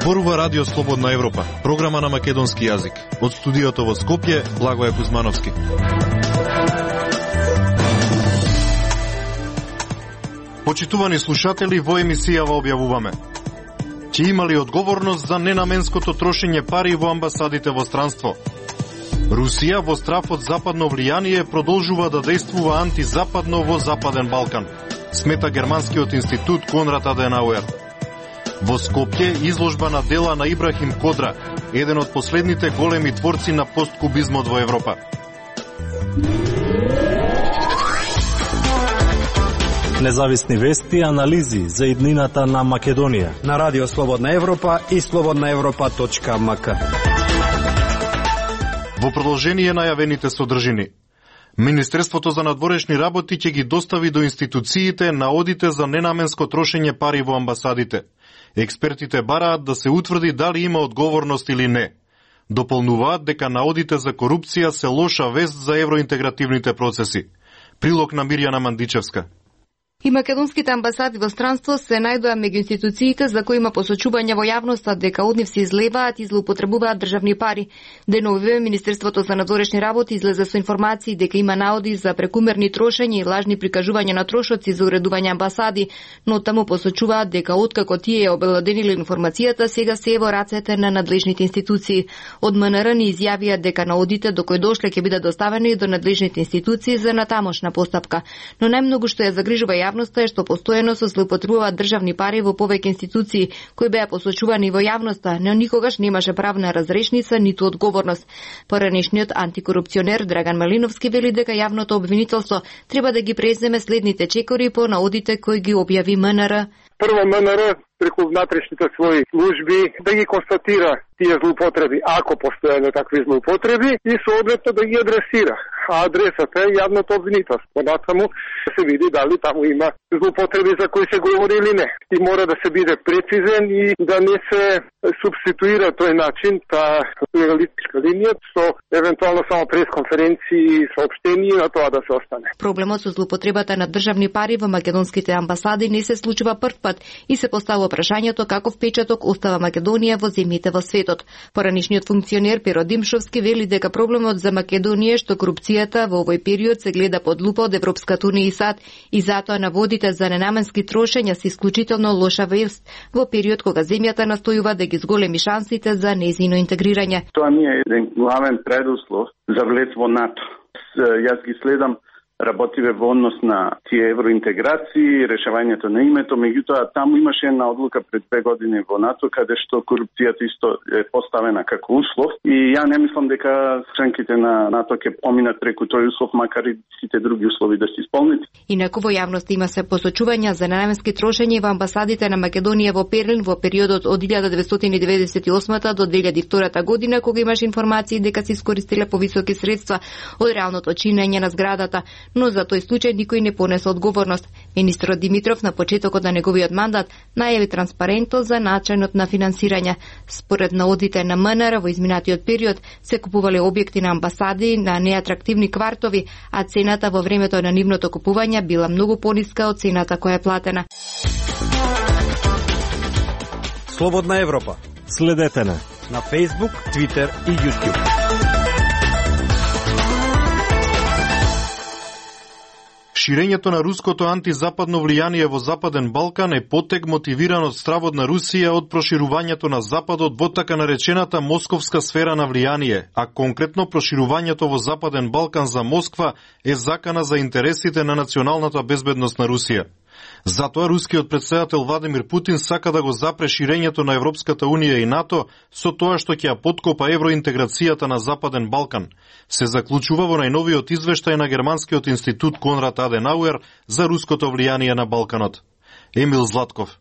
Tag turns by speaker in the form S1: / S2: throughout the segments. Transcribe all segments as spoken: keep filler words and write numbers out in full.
S1: Зборува Радио Слободна Европа, програма на македонски јазик. Од студиото во Скопје, Благоје Кузмановски. Почитувани слушатели, во емисијава објавуваме: ќе имали одговорност за ненаменското трошење пари во амбасадите во странство. Русија во страф од западно влијание продолжува да действува антизападно во Западен Балкан, смета германскиот институт Конрад Аденауер. Во Скопје изложба на дела на Ибрахим Кодра, еден од последните големи творци на посткубизмот во Европа.
S2: Независни вести и анализи за иднината на Македонија
S3: на Радио Слободна Европа и слободна европа точка ем ка.
S1: Во продолжение најавените содржини. Министерството за надворешни работи ќе ги достави до институциите наодите за ненаменско трошење пари во амбасадите. Експертите бараат да се утврди дали има одговорност или не. Дополнуваат дека наодите за корупција се лоша вест за евроинтегративните процеси. Прилог на Мирјана Мандичевска.
S4: И македонските амбасади во странство се најдоа меѓу институциите за кои има посочувања во јавноста дека од нив се излеваат и злоупотребуваат државни пари. Деновиве Министерството за надворешни работи излезе со информации дека има наоди за прекумерни трошења и лажни прикажувања на трошоци за уредување амбасади, но таму посочуваат дека откако тие обелодениле информацијата, сега се е во рацете на надлежните институции. Од ем ен ер ни изјавија дека наодите до кои дошле ќе бидат доставени до надлежните институции за натамошна постапка. Но најмногу што ја загрижува јавноста е што постојано се злоупотребуваат државни пари во повеќе институции кои беа посочувани во јавноста, но никогаш немаше правна разрешница ниту одговорност. Поранешниот антикорупционер Драган Малиновски вели дека јавното обвинителство треба да ги преземе следните чекори по наодите кои ги објави ем ен ер.
S5: Прво ем ен ер преку внатрешните своји служби да ги констатира тие злоупотреби, ако постојано такви злоупотреби, и соодветно да ги адресира. А адресата е јавното обвинителство. Понатаму се види дали таму има злоупотреби за кои се говори или не. И мора да се биде прецизен и да не се субституира тој начин, таа плуралистичка линија, со евентуално само пресконференции и соопштенија на тоа да се остане.
S4: Проблемот со злоупотребата на државни пари во македонските амбасади не се случува прв пат и се поставува прашањето како впечаток остава Македонија во земјите во светот. Поранешниот функционер Перо Димшовски вели дека проблемот за Македонија е што корупцијата во овој период се гледа под лупа од Европската унија и САД и затоа наводите за ненаменски трошења се исклучително лоша вест во период кога земјата настојува да ги зголеми шансите за нејзино интегрирање.
S6: Тоа не е еден главен предуслов за влез во НАТО. Јас ги следам работиве во однос на тие евроинтеграции, решавањето на името, меѓутоа таму имаше една одлука пред две години во НАТО каде што корупцијата исто е поставена како услов и ја не мислам дека членките на НАТО ќе поминат преку тој услов, макар и сите други услови да се исполнат.
S4: Инаку во јавност има се посочувања за ненаменски трошења во амбасадите на Македонија во Берлин во периодот од илјада деветстотини деведесет и осма до две илјади и втора година, кога имаше информации дека се искористиле повисоки средства од реалното чинење на зградата, но за тој случај никој не понесе одговорност. Министрот Димитров на почетокот на неговиот мандат најави транспарентност за начинот на финансирање. Според наодите на ем ен ер во изминатиот период се купувале објекти на амбасади на неатрактивни квартови, а цената во времето на нивното купување била многу пониска од цената која е платена.
S3: Слободна Европа.
S2: Следете на
S3: на Facebook, Twitter и YouTube.
S1: Ширењето на руското антизападно влијание во Западен Балкан е потек мотивиран од стравот на Русија од проширувањето на Западот во така наречената московска сфера на влијание, а конкретно проширувањето во Западен Балкан за Москва е закана за интересите на националната безбедност на Русија. Затоа рускиот претседател Владимир Путин сака да го запре ширењето на Европската унија и НАТО со тоа што ќе ја поткопа евроинтеграцијата на Западен Балкан, се заклучува во најновиот извештај на германскиот институт Конрад Аденауер за руското влијание на Балканот. Емил Златков.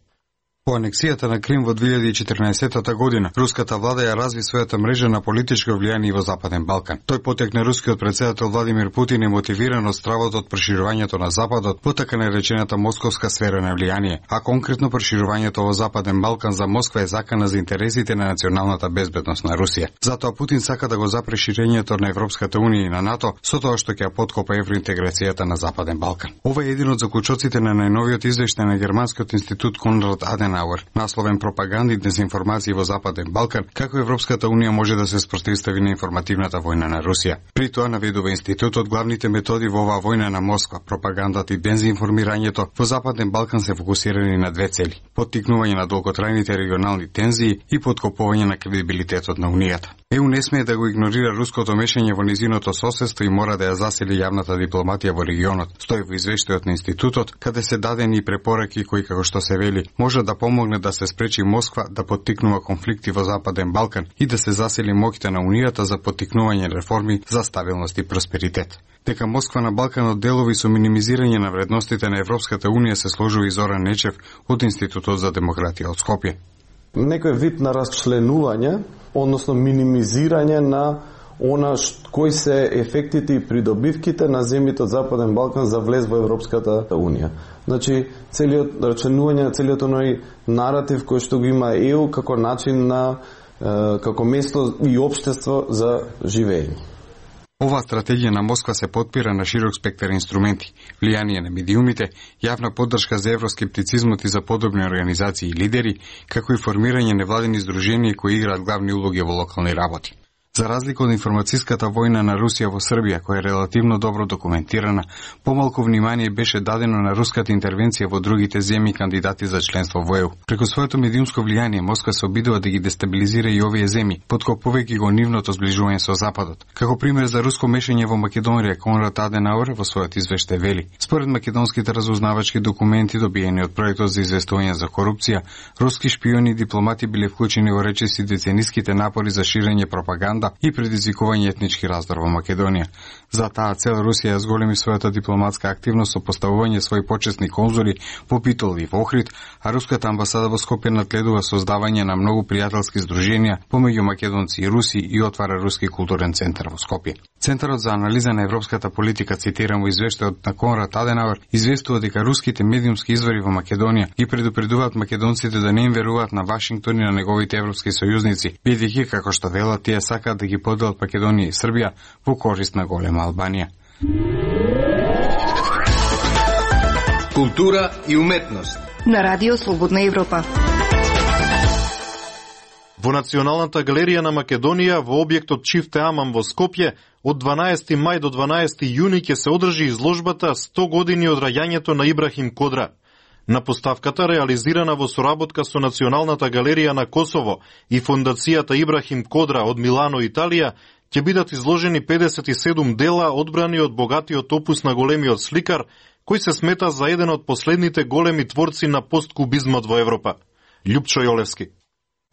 S7: По анексијата на Крим во две илјади и четрнаесетта година, руската влада ја разви својата мрежа на политичко влијание во Западен Балкан. Тој потек на рускиот претседател Владимир Путин е мотивиран од стравот од проширувањето на Западот во така наречената московска сфера на влијание, а конкретно проширувањето во Западен Балкан за Москва е закана за интересите на националната безбедност на Русија. Затоа Путин сака да го запре ширењето на Европската унија и на НАТО со тоа што ќе ја поткопа евроинтеграцијата на Западен Балкан. Ова е еден од заклучоците на најновиот извештај на германскиот институт Конрад Аденауер Аденауер, насловен пропаганди и дезинформации во Западен Балкан, како Европската унија може да се спротивстави на информативната војна на Русија. При тоа наведува институтот, главните методи во оваа војна на Москва, пропагандата и дезинформирањето во Западен Балкан се фокусирани на две цели: поттикнување на долготрајните регионални тензии и поткопување на кредибилитетот на Унијата. Е ю не смее да го игнорира руското мешање во низиното соседство и мора да ја засили јавната дипломатија во регионот, стои во извештајот на институтот, каде се дадени и препораки кои, како што се вели, може да помогне да се спречи Москва да поттикнува конфликти во Западен Балкан и да се засили моќта на Унијата за поттикнување реформи за стабилност и просперитет. Дека Москва на Балканот делови со минимизирање на вредностите на Европската Унија се сложува и Зоран Нечев од Институтот за демократија од Скопје.
S8: Некој вид на расчленување, односно минимизирање на она кои се ефектите и придобивките на земјите од Западен Балкан за влез во Европската Унија. Значи, целиот расчленување на целиот оној наратив кој што го има Е Ю како начин на како место и општество за живење.
S7: Оваа стратегија на Москва се потпира на широк спектар инструменти: влијание на медиумите, јавна поддршка за евроскептицизмот и за подобни организации и лидери, како и формирање невладени здруженија кои играат главни улоги во локални работи. За разлика од информацијската војна на Русија во Србија, која е релативно добро документирана, помалку внимание беше дадено на руската интервенција во другите земји кандидати за членство во Е Ю. Преку своето медиумско влијание Москва се обидува да ги дестабилизира и овие земји, поткопувајќи го нивното зближување со Западот. Како пример за руско мешање во Македонија, Конрад Аденауер во својот извештај вели: според македонските разузнавачки документи добиени од проектот за известување за корупција, руски шпиони и дипломати биле вклучени во речиси децениските напори за ширење пропаганда и предизвикување етнички раздор во Македонија. За таа цел Русија ја зголеми својата дипломатска активност со поставување своји почесни конзули во Битол и во Охрид, а руската амбасада во Скопје надледува создавање на многу пријателски здруженија помеѓу македонци и руси и отвара руски културен центар во Скопје. Центарот за анализа на европската политика, цитирам во извештајот на Конрад Аденауер, известува дека руските медиумски извори во Македонија ги предупредуваат македонците да не им веруваат на Вашингтон и на неговите европски сојузници, бидејќи, како што велат, тие сакаат да ги поделат Македонија и Србија во корист на голема Албанија.
S9: Култура и уметност
S4: на Радио Слободна Европа.
S1: Во Националната галерија на Македонија во објектот Чифте Амам во Скопје од дванаесети мај до дванаесети јуни ќе се одржи изложбата сто години од раѓањето на Ибрахим Кодра. На поставката, реализирана во соработка со Националната галерија на Косово и Фондацијата Ибрахим Кодра од Милано, Италија, ќе бидат изложени педесет и седум дела одбрани од богатиот опус на големиот сликар, кој се смета за еден од последните големи творци на посткубизмот во Европа. Љупчо Јолевски.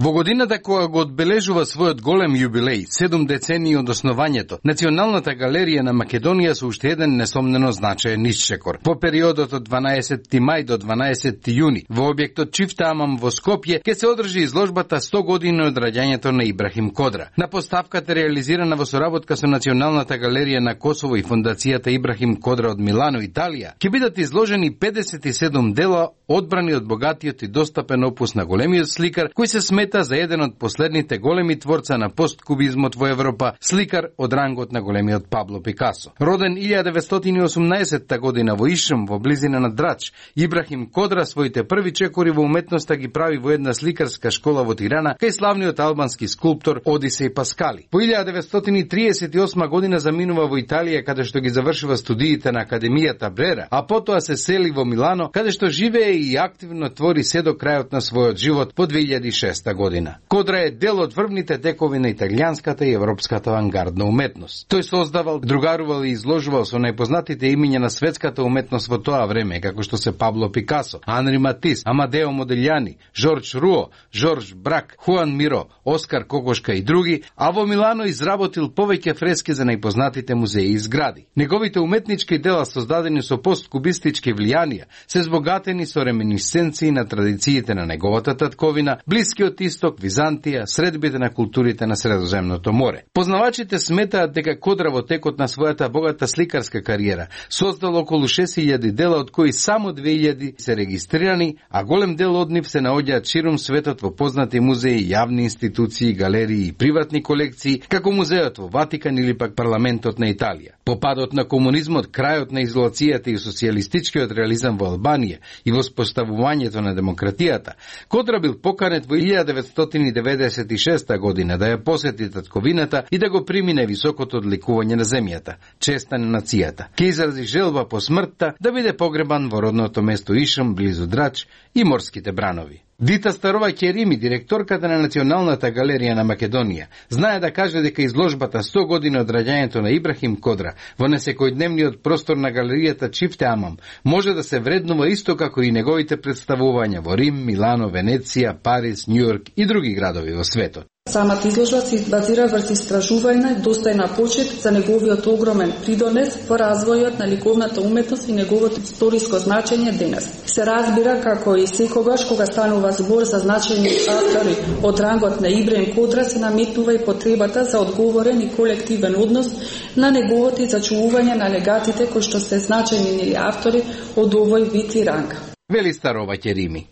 S9: Во годината која го одбележува својот голем јубилеј, седум децении од основањето, Националната галерија на Македонија со уште еден несомнено значаен исчекор. Во периодот од дванаесети мај до дванаесети јуни, во објектот Чифте Амам во Скопје, ќе се одржи изложбата сто години од раѓањето на Ибрахим Кодра. На поставката, реализирана во соработка со Националната галерија на Косово и Фондацијата Ибрахим Кодра од Милано, Италија, ќе бидат изложени педесет и седум дела одбрани од богатиот и достапен опус на големиот сликар, кој се смета за еден од последните големи творца на посткубизмот во Европа, сликар од рангот на големиот Пабло Пикасо. Роден илјада деветстотини и осумнаесетта година во Ишим, во близина на Драч, Ибрахим Кодра своите први чекори во уметноста ги прави во една сликарска школа во Тирана, кај славниот албански скулптор Одисеј Паскали. Во илјада деветстотини триесет и осма година заминува во Италија, каде што ги завршува студиите на Академијата Брера, а потоа се сели во Милано, каде што живее и активно твори се до крајот на својот живот во две илјади и шеста година. Кодра е дел од врвните текови на италијанската и европската авангардна уметност. Тој создавал, другарувал и изложувал со најпознатите имиња на светската уметност во тоа време, како што се Пабло Пикасо, Анри Матис, Амадео Модилјани, Жорж Руо, Жорж Брак, Хуан Миро, Оскар Кокошка и други, а во Милано изработил повеќе фрески за најпознатите музеи и згради. Неговите уметнички дела, создадени со посткубистички влијанија, се збогатени со реминисценции на традициите на неговата татковина, блискиот Блискиот Исток, Византија, средбите на културите на Средоземното море. Познавачите сметаат дека Кодра во текот на својата богата сликарска кариера создал околу шест илјади дела, од кои само две илјади се регистрирани, а голем дел од нив се наоѓаат ширум светот во познати музеи, јавни институции, галерии и приватни колекции, како музеот во Ватикан или пак парламентот на Италија. По падот на комунизмот, крајот на изолацијата и социјалистичкиот реализам во Албанија и воспоставувањето на демократијата, Кодра бил поканет во илјада деветстотини деветдесет и шеста година да ја посети татковината и да го примине високото одликување на земјата, честа на нацијата. Ке изрази желба по смртта да биде погребан во родното место Ишам, близу Драч и морските бранови. Дита Старова Керими, директорката на Националната галерија на Македонија, знае да каже дека изложбата сто години од раѓањето на Ибрахим Кодра во несекојдневниот простор на галеријата Чифте Амам може да се вреднува исто како и неговите представувања во Рим, Милано, Венеција, Париз, Њујорк и други градови во светот.
S10: Самата изложба се базира врз истражување достојна почит за неговиот огромен придонес во развојот на ликовната уметност и неговото историско значење денес. Се разбира како и секогаш кога станува збор за значајни автори од рангот на Ибрахим Кодра се наметнува и потребата за одговорен и колективен однос на неговото зачувување на легатите кои што се значајни автори од овој вид и ранг.
S9: Вели Старова Керими.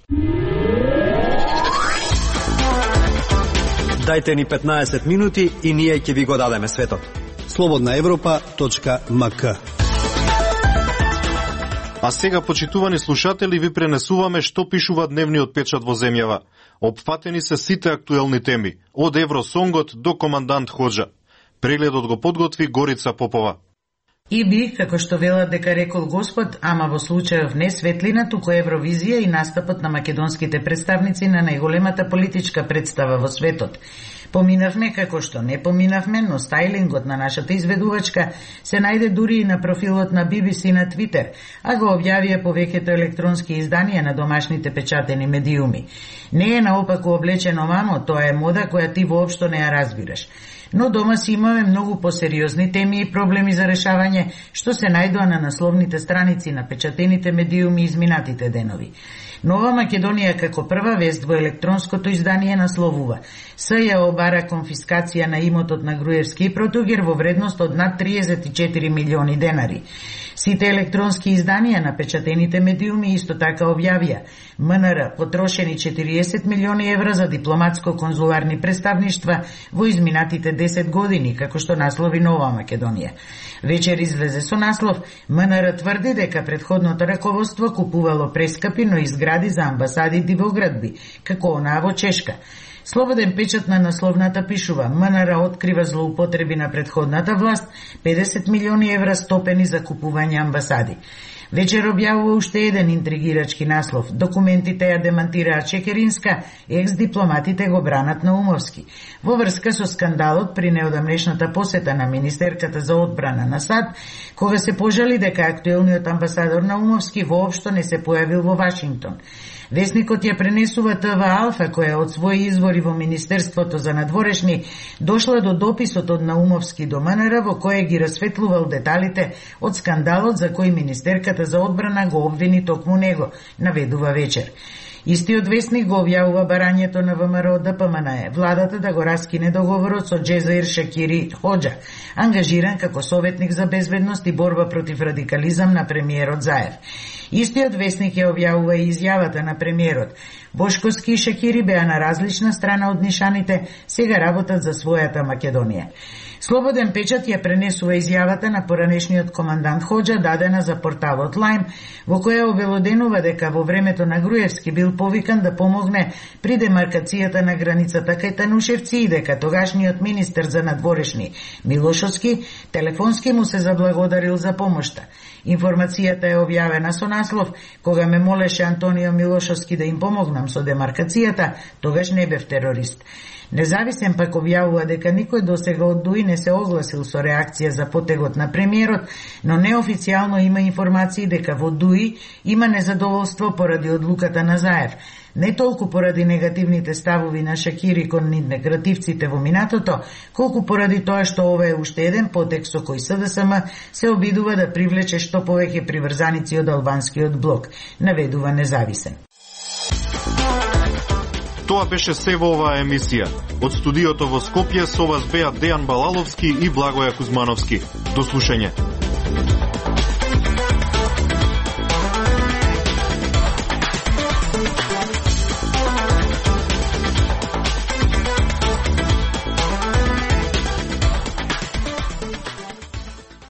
S3: Дајте ни петнаесет минути и ние ќе ви го дадеме светот. слободна европа точка ем ка.
S1: А сега, почитувани слушатели, ви пренесуваме што пишува дневниот печат во земјава. Опфатени се сите актуелни теми, од Евросонгот до Командант Хоџа. Прегледот го подготви Горица Попова.
S11: И би, како што велат дека рекол Господ, ама во случајов не светлина, туку Евровизија и настапот на македонските представници на најголемата политичка представа во светот. Поминавме како што не поминавме, но стајлингот на нашата изведувачка се најде дури и на профилот на би би си на Твитер, а го објавија повеќето електронски изданија на домашните печатени медиуми. Не е наопаку облечено мамо, тоа е мода која ти воопшто не ја разбираш. Но дома си имаме многу посериозни теми и проблеми за решавање, што се најдоа на насловните страници на печатените медиуми изминатите денови. Нова Македонија како прва вест во електронското издание насловува: С ја обара конфискација на имотот на Груевски и Протугер во вредност од над триесет и четири милиони денари. Сите електронски изданија на печатените медиуми исто така објавија: МНР потрошени четириесет милиони евра за дипломатско-конзуларни представништва во изминатите десет години, како што наслови Нова Македонија. Вечер излезе со наслов: МНР тврди дека претходното раководство купувало прескапи, но изгради за амбасади во градби, како онаа во Чешка. Слободен печат на насловната пишува: МНР открива злоупотреби на претходната власт, педесет милиони евра стопени за купување амбасади. Вечер објавува уште еден интригирачки наслов: документите ја демантираат Чекеринска, екс-дипломатите го бранат Наумовски. Во врска со скандалот при неодамнешната посета на министерката за одбрана на САД, кога се пожали дека актуелниот амбасадор Наумовски воопшто не се појавил во Вашингтон. Весникот ја пренесува ТВ Алфа, која од своји извори во Министерството за надворешни дошла до дописот од Наумовски до МНР, во кој ги расветлувал деталите од скандалот за кој министерката за одбрана го обвини токму него, наведува Вечер. Истиот весник го објавува барањето на ВМРО Д П М Н Е, владата да го раскине договорот со Джезаир Шакири Хоџа, ангажиран како советник за безбедност и борба против радикализам на премиерот Заев. Истиот весник ја објавува и изјавата на премиерот: Бошковски и Шакири беа на различна страна од нишаните, сега работат за својата Македонија. Слободен печат ја пренесува изјавата на поранешниот командант Хоџа, дадена за порталот Лајм, во која обелоденува дека во времето на Груевски бил повикан да помогне при демаркацијата на границата кај Танушевци и дека тогашниот министер за надворешни Милошовски телефонски му се заблагодарил за помошта. Информацијата е објавена со наслов: кога ме молеше Антонио Милошовски да им помогнам со демаркацијата, тогаш не бев терорист. Независен пак објавува дека никој досега од ДУИ не се огласил со реакција за потегот на премиерот, но неофицијално има информации дека во ДУИ има незадоволство поради одлуката на Заев. Не толку поради негативните ставови на Шакири кон интегративците во минатото, колку поради тоа што ова е уште еден потек со кој С Д С М се обидува да привлече што повеќе приврзаници од албанскиот блок, наведува Независен.
S1: Тоа беше се во оваа емисија. Од студиото во Скопје со вас беа Дејан Балаловски и Благоја Кузмановски. До слушање.